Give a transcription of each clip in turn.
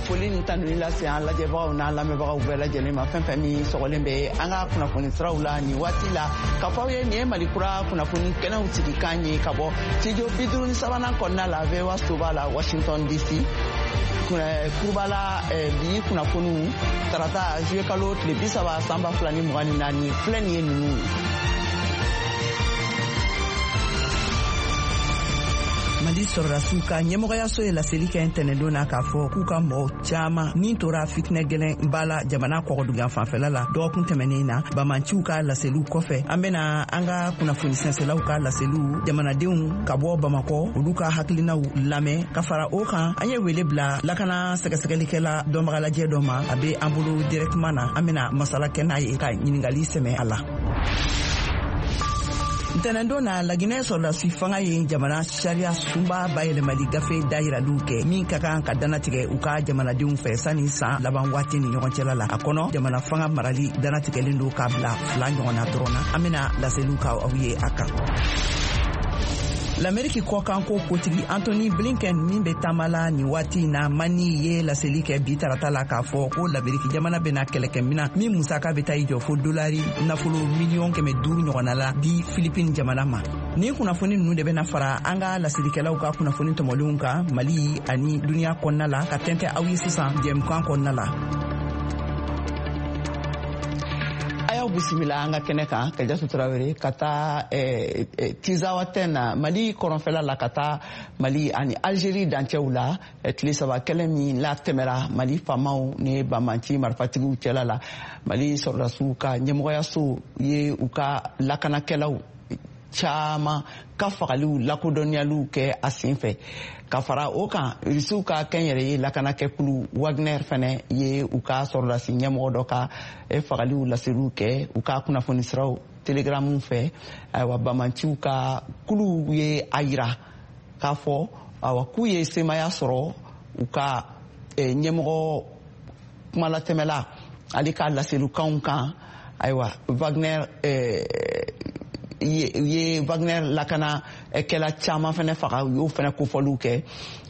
Foli ni tanuni lase an lajɛbagaw n'an lamɛnbagaw bɛɛ lajɛlen ma, fɛn fɛn min sɔgɔlen bɛ an ka kunnafoni siraw la nin waati la, k'a fɔ aw ye nin ye Mali Kura kunnafoni kɛnɛw sigikan ye ka bɔ studio 53nan kɔnɔna la, VOA soba la, Washington DC kurubala. Bi kunnafoniw, tarata juillet kalo tile 30 san 2024, filɛ nin ye ninnu ye. Mali sɔrɔdasiw ka ɲɛmɔgɔyaso ye laseli kɛ ntɛnɛndon na k'a fɔ k'u ka mɔgɔ caaman nin tora fitinɛ gɛlɛn ba la jamana kɔgɔdugan fanfɛla la dɔgɔkun tɛmɛnen na. Bamanciw ka laseliw kɔfɛ, an bena an ka kunnafoni sɛnsɛlaw ka laseliw, jamanadenw ka bɔ Bamakɔ, olu ka hakilinaw lamɛn. Ka fara o kan, an ye wele bila lakana sɛgɛsɛgɛlikɛla dɔnbagalajɛ dɔ ma, a be an bolo directement na, an bena masala kɛ n'a ye ka ɲiningali sɛmɛ a la. Ntɛnɛndon na, Laginɛ sɔrɔdasi fanga ye jamana sariya sunba bayɛlɛmali gafe dayiraliw kɛ min ka kan ka danatigɛ u ka jamanadenw fɛ sanni san laban waati ni ɲɔgɔn cɛla la. A kɔnɔ, jamana fanga marali danatigɛlen don k'a bila fila ɲɔgɔn na dɔrɔn na. An bena laseliw ka aw ye a kan. Lameriki kɔkanko kotigi Antony Blinken min bɛ taama la nin waati na Mani ye laseli kɛ bi tarata la k'a fɔ ko Lameriki jamana bɛna kɛlɛkɛminan min musaka bɛ taa i jɔ fo dolari nafolo miliyɔn 500 ɲɔgɔnna la di Filipine jamana ma. Nin kunnafoni ninnu de bɛna fara an ka laselikɛlaw ka kunnafoni tɔmɔlenw kan Mali ani duniɲa kɔnɔna la ka tɛntɛ aw ye sisan jɛmukan kɔnɔna la. A y'aw bisimila an ka kɛnɛ kan. Kajatu Tarawele, ka taa Tizawatɛn na, Mali kɔrɔnfɛla la, ka taa Mali ani Algérie dancɛw la, tile 3 kɛlɛ min latɛmɛra Mali faamaw ni banbanci marifatigiw cɛla la, Mali sɔrɔdasiw ka ɲɛmɔgɔyaso ye u ka lakanakɛlaw caman ka fagaliw lakodɔnniyaliw kɛ a sen fɛ. Ka fara o kan, Irisiw ka kɛnyɛrɛye lakanakɛkulu Wagner fɛnɛ ye u ka sɔrɔdasi ɲɛmɔgɔ dɔ ka fagaliw laseliw kɛ u ka kunnafoni siraw Telegramu fɛ. Ayiwa, bamanciw ka kuluw ye a yira k'a fɔ awa k'u ye semaya sɔrɔ u ka ɲɛmɔgɔ kumalatɛmɛla ale ka laselikanw kan. Ayiwa, Wagner ye Wagner lakana kɛla caman fɛnɛ faga, u y'o fɛnɛ kofɔliw kɛ.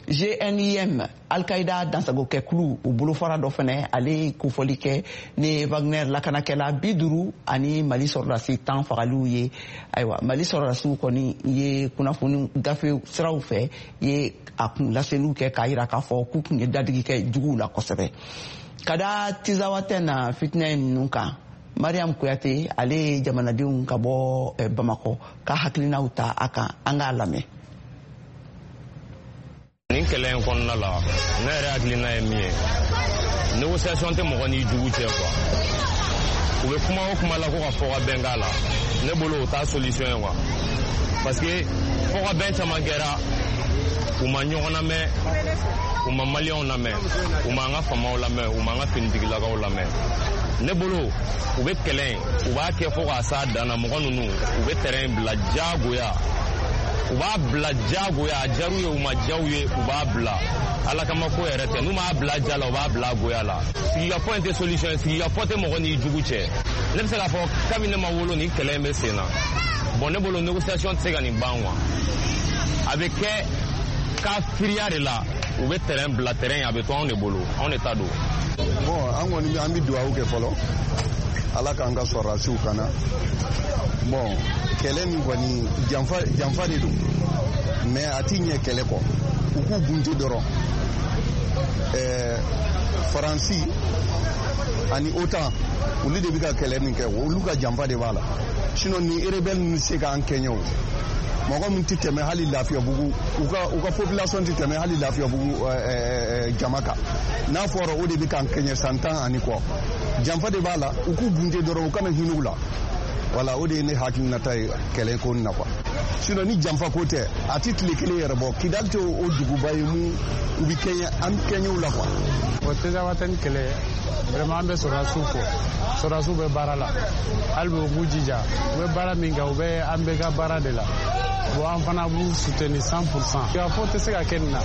JNIM, Al-Qaïda dansagokɛkulu, u bolofara dɔ fɛnɛ, ale ye kofɔli kɛ ni Wagner lakanakɛla 50 ani Mali sɔrɔdasi 10 fagaliw ye. Ayiwa, Mali sɔrɔdasiw kɔni ye kunnafoni gafe siraw fɛ ye a kun laseliw kɛ k'a yira k'a fɔ k'u tun ye dadigi kɛ juguw la kosɛbɛ. Ka da Tizawatɛn na fitinɛ ninnu kan, Mariam Kuyate, ale ye jamanadenw ka bɔ Bamakɔ ka hakilinaw ta a kan, an k'a lamɛn. Nin kɛlɛ in kɔnɔna la, ne yɛrɛ hakilina ye min ye, négociation tɛ mɔgɔ n'i jugu cɛ quoi. U bɛ kuma o kuma la ko ka fɔ ka bɛn k'a la, ne bolo o t'a solution ye quoi, parce que fɔ ka bɛn caman kɛra, u ma ɲɔgɔn lamɛn, u ma Maliyɛnw lamɛn, u ma an ka faamaw lamɛn, u ma an ka finitigilakaw lamɛn. Ne bolo, u bɛ kɛlɛ in, u b'a kɛ fo k'a s'a dan na. Mɔgɔ ninnu, u bɛ terrain bila diyagoya, u b'a bila diyagoya. A diyar'u ye, u ma diya u ye, u b'a bila. Ala kama ko yɛrɛ tɛ, n'u m'a bila ja la, u b'a bila goya la. Sigikafɔ in tɛ solution ye, sigikafɔ tɛ mɔgɔ n'i jugu cɛ. Ne bɛ se k'a fɔ kabini ne ma wolo, nin kɛlɛ in bɛ sen na. Bon, ne bolo négociation tɛ se ka nin ban quoi. A bɛ kɛ kafiriya de la, u bɛ terrain bila, terrain a bɛ to anw de bolo, anw de ta don. Bon, an kɔni an bɛ dugawu kɛ fɔlɔ, Ala k'an ka sɔrɔdasiw kana. Bon, kɛlɛ min kɔni, janfa janfa de don, mais a ti ɲɛ kɛlɛ kɔ, u k'u bunte dɔrɔn. Faransi ani OTAN, olu de bɛ ka kɛlɛ min kɛ, olu ka janfa de b'a la. Sinon ni rebelle ninnu se k'an kɛɲɛ o, mɔgɔ min tɛ tɛmɛ hali Lafiyabugu, u ka population tɛ tɛmɛ hali Lafiyabugu jama kan, n'a fɔra o de bɛ k'an kɛɲɛ san 10 ani kɔ, janfa de b'a la. U k'u bunte dɔrɔn, u kana hinɛ u la. Wala, o de ye ne hakilinata ye kɛlɛ ko nin na quoi. Sinon ni janfa ko tɛ, a tɛ tile kelen yɛrɛ bɔ. Kidali tɛ o duguba ye mun u bɛ kɛɲɛ, an kɛɲɛw la quoi. O Tezawatɛni kɛlɛ, vraiment an bɛ sɔrɔdasiw fo, sɔrɔdasiw bɛ baara la hali bi, u k'u jija, u bɛ baara min kɛ, u bɛ an bɛɛ ka baara de la. Bon, an fana b'u soutenir 100%. Sigikafɔ tɛ se ka kɛ nin na,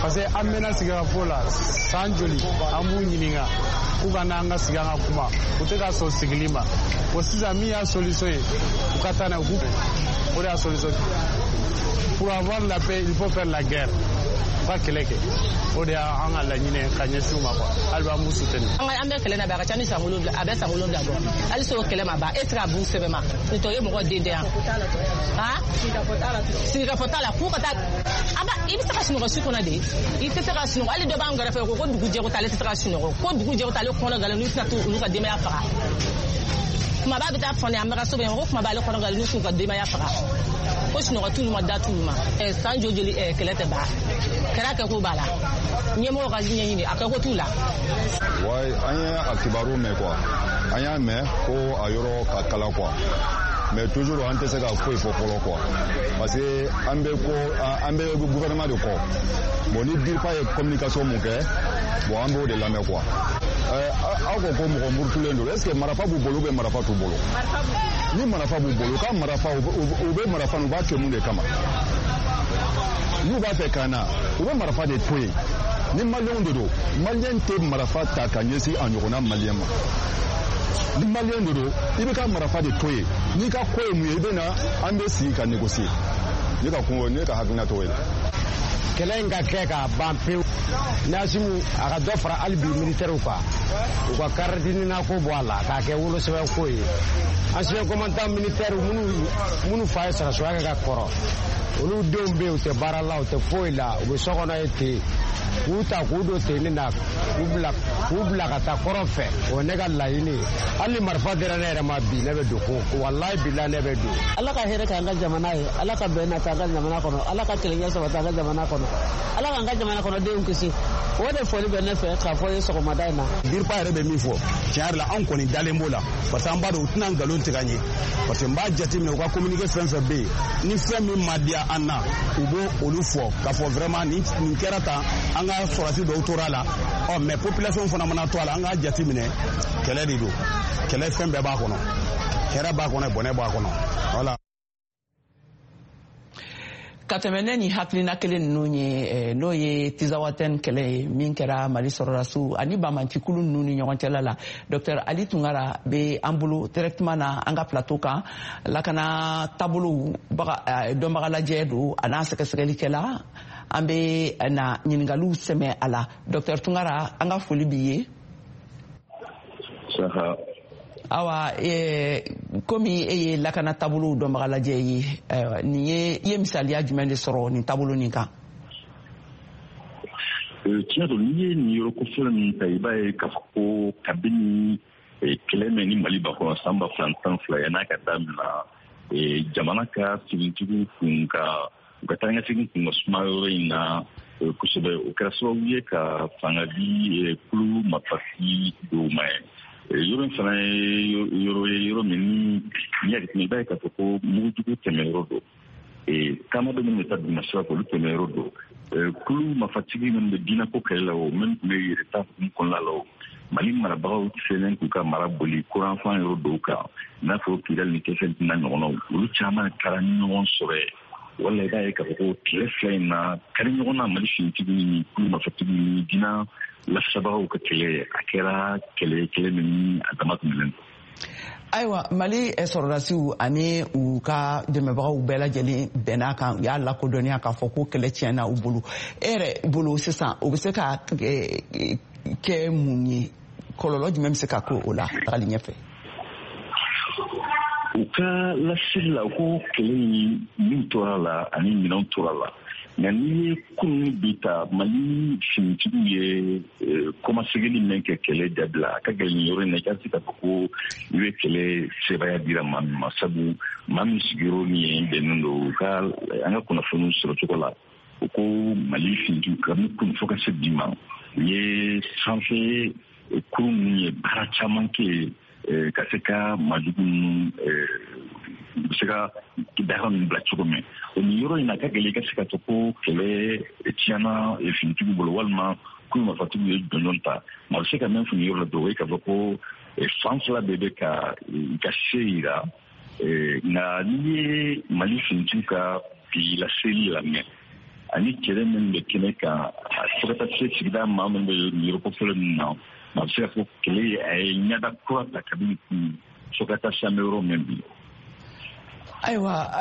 parce que an mɛnna sigikafɔ la san joli, an b'u ɲininka k'u ka n'an ka sigi an ka kuma, u tɛ ka sɔn sigili ma. Bon, sisan min y'a solution ye, u ka taa n'a ye, u k'u o de y'a solution. Pour avoir la paix, il faut faire la guerre. U ka kɛlɛ kɛ, o de y'an ka laɲini ye ka ɲɛsin u ma quoi. Hali bi an b'u soutenir. An bɛ kɛlɛ na bi, a ka ca ni san 7, a bɛ san 7 bɔ. Hali o kɛlɛ ma ban, e tɛ se ka b'u sɛbɛn ma. Nin tɔ ye mɔgɔ den tɛ yan. Han? Sigikafɔ t'a la, k'u ka taa. A ba, i bɛ se ka sunɔgɔ su kɔnɔ de. I tɛ se ka sunɔgɔ. Hali dɔ b'an kɛrɛfɛ ko dugu jɛ ko t'ale tɛ se ka sunɔgɔ. Ko dugu jɛ ko t'ale kɔnɔ galen n'u tɛna t'olu ka denbaya faga. Kumaba bɛ taa fɔ ne an bɛ ka so bɛ yen ko kumaba ale kɔnɔ galen n'u t'u ka denbaya faga. Ko sunɔgɔ t'olu ma, da t'olu ma. San joli kɛlɛ tɛ ban. Kɛra kɛ ko b'a la. Ɲɛmɔgɔ ka ɲɛɲini a kɛ ko t'u la. Wayi, an ye a kibaru mɛn quoi. An y'a mɛn ko a yɔrɔ ka kala quoi. Mais toujours an tɛ se ka foyi fɔ fɔlɔ quoi. Parce que an bɛ ko an bɛ gouvernement de kɔ. Bon, ni DIRPA ye communication mun kɛ, bon, an b'o de lamɛn quoi. Aw ko ko mɔgɔ murutulen don, est ce que marafa b'u bolo ou bien marafa t'u bolo? Ni marafa b'u bolo, u ka marafa, u bɛ marafa, u b'a kɛ mun de kama? N'u b'a fɛ ka na, u bɛ marafa de to yen. Ni maliyɛnw de don, maliyɛn tɛ marafa ta ka ɲɛsin a ɲɔgɔnna maliyɛn ma. Ni maliyɛn de don, i bɛ ka marafa de to yen. N'i ka ko ye mun ye, i bɛ na, an bɛ sigi ka négocier. Ne ka kun, ne ka hakilina t'o ye. Kɛlɛ in ka kɛ k'a ban pewu. N'Assimi a ka dɔ fara hali bi militaires kan, u ka carte NINA ko bɔ a la k'a kɛ wolosɛbɛn ko ye. Ancien commandant militaire minnu fa ye sɔrɔsiya kɛ ka kɔrɔ, olu denw bɛ yen, u tɛ baara la, u tɛ foyi la, u bɛ so kɔnɔ ye ten. K'u ta k'u don tenni na, k'u bila ka taa kɔrɔn fɛ, o ye ne ka laɲini ye. Hali ni marifa dira ne yɛrɛ ma bi, ne bɛ don ko walayi bila, ne bɛ don. Ala ka hɛrɛ k'an ka jamana ye, Ala ka bɛn nata an ka jamana kɔnɔ, Ala ka kelenya sabati an ka jamana kɔnɔ, Ala k'an ka jamana kɔnɔdenw kisi. O de foli bɛ ne fɛ k'a fɔ ye sɔgɔmada in na. DIRPA yɛrɛ bɛ min fɔ, tiɲɛ yɛrɛ la, anw kɔni dalen b'o la, parce que an b'a dɔn u tɛna nkalon tigɛ an ye, parce que n b'a jateminɛ, u ka communiqué fɛn fɛn bɛ yen, ni fɛn min ma diya an na, u b'o olu fɔ k'a fɔ vraiment nin kɛra tan, an ka sɔrɔdasi dɔw tora a la. Ɔ mais population fana mana to a la, an k'a jateminɛ, kɛlɛ de don, kɛlɛ fɛn bɛɛ b'a kɔnɔ, hɛrɛ b'a kɔnɔ, bɔnɛ b'a kɔnɔ, voilà. Ka tɛmɛ ne ni hakilina kelen ninnu ye, n'o ye Tinzawatɛn kɛlɛ ye min kɛra Mali sɔrɔdasiw ani bamancikulu ninnu ni ɲɔgɔn cɛla la, Dr Ali Tunkara bɛ an bolo directement na an ka plateau kan. Lakana taabolow dɔnbaga lajɛ don, a n'a sɛgɛsɛgɛlikɛla. An bɛ na ɲininkaliw sɛmɛ a la. Dr Tunkara, an ka foli b'i ye. Awa, komi e ye lakana taabolow dɔnbaga lajɛ ye, nin ye, i ye misaliya jumɛn de sɔrɔ nin taabolo nin kan? Tiɲɛ don, n'i ye nin yɔrɔ kofɔlɔ min ta, i b'a ye k'a fɔ ko kabini kɛlɛ mɛn ni Mali ba kɔnɔ san 2012, yan'a ka damina, jamana ka finitigiw kun ka u ka taa kun ka suma yɔrɔ in na kosɛbɛ. O kɛra sababu ye ka fanga di kulu marifatigi dɔw ma ye. Yɔrɔ in fana ye yɔrɔ ye, yɔrɔ min ni n'i y'a jateminɛ, i b'a ye k'a fɔ ko mugujugu tɛmɛyɔrɔ don, taama bɛ minnu bɛ taa duguma sira fɛ, olu tɛmɛyɔrɔ don. Kulu marifatigi minnu bɛ diinɛko kɛlɛ la, o minnu tun bɛ yɛrɛ ta hukumu kɔnɔna la, o Mali marabagaw selen k'u ka mara boli kuranfan yɔrɔ dɔw kan, i n'a fɔ Kidali ni Tɛsɛli n'a ɲɔgɔnnaw, olu caman taara ɲɔgɔn sɔrɔ yen. Wala i b'a ye k'a fɔ ko tile 2 in na kari ɲɔgɔn na, Mali finitigiw ni kulu marifatigiw ni diinɛ lasabagaw ka kɛlɛ, a kɛra kɛlɛ kɛlɛ min ni a dama tɛmɛnen don. Ayiwa, Mali sɔrɔdasiw ani u ka dɛmɛbagaw bɛɛ lajɛlen bɛn'a kan, u y'a lakodɔnniya k'a fɔ ko kɛlɛ tiɲɛna u bolo. E yɛrɛ bolo sisan, o bɛ se ka kɛ mun ye? Kɔlɔlɔ jumɛn bɛ se ka k'o la tagali ɲɛfɛ? U ka laseli la ko kɛlɛ in min tora la ani minɛnw tora la, nka n'i ye kunun bi ta, Mali finitigiw ye kɔmasegili min kɛ kɛlɛ dabila, a ka gɛlɛn nin yɔrɔ in na i ka se k'a fɔ ko i bɛ kɛlɛ sebaaya dira maa min ma, sabu maa min sigiyɔrɔ ni yen bɛnnen don. U ka an ka kunnafoniw sɔrɔ cogo la, u ko Mali finitigiw kabini kunun fo ka se bi ma, u ye sanfɛ kurun minnu ye baara caman kɛ yen ka se ka maajugu ninnu u bɛ se ka daga ninnu bila cogo min. O nin yɔrɔ in na, a ka gɛlɛn i ka se ka fɔ ko kɛlɛ tiɲɛna finitigiw bolo walima kulu marifatigiw ye jɔnjɔn ta. Maa bɛ se ka min fɔ nin yɔrɔ la dɔrɔn, o ye k'a fɔ ko fan fila bɛɛ bɛ ka i ka se yira. Nka n'i ye Mali finitigiw ka bi laseli lamɛn ani kɛlɛ min bɛ kɛnɛ kan, fo ka taa se sigida maa minnu bɛ nin yɔrɔ kofɔlen ninnu na, maa bɛ se ka fɔ kɛlɛ a ye ɲɛda kura ta kabini kun fo ka taa se an bɛ yɔrɔ min bi. Ayiwa.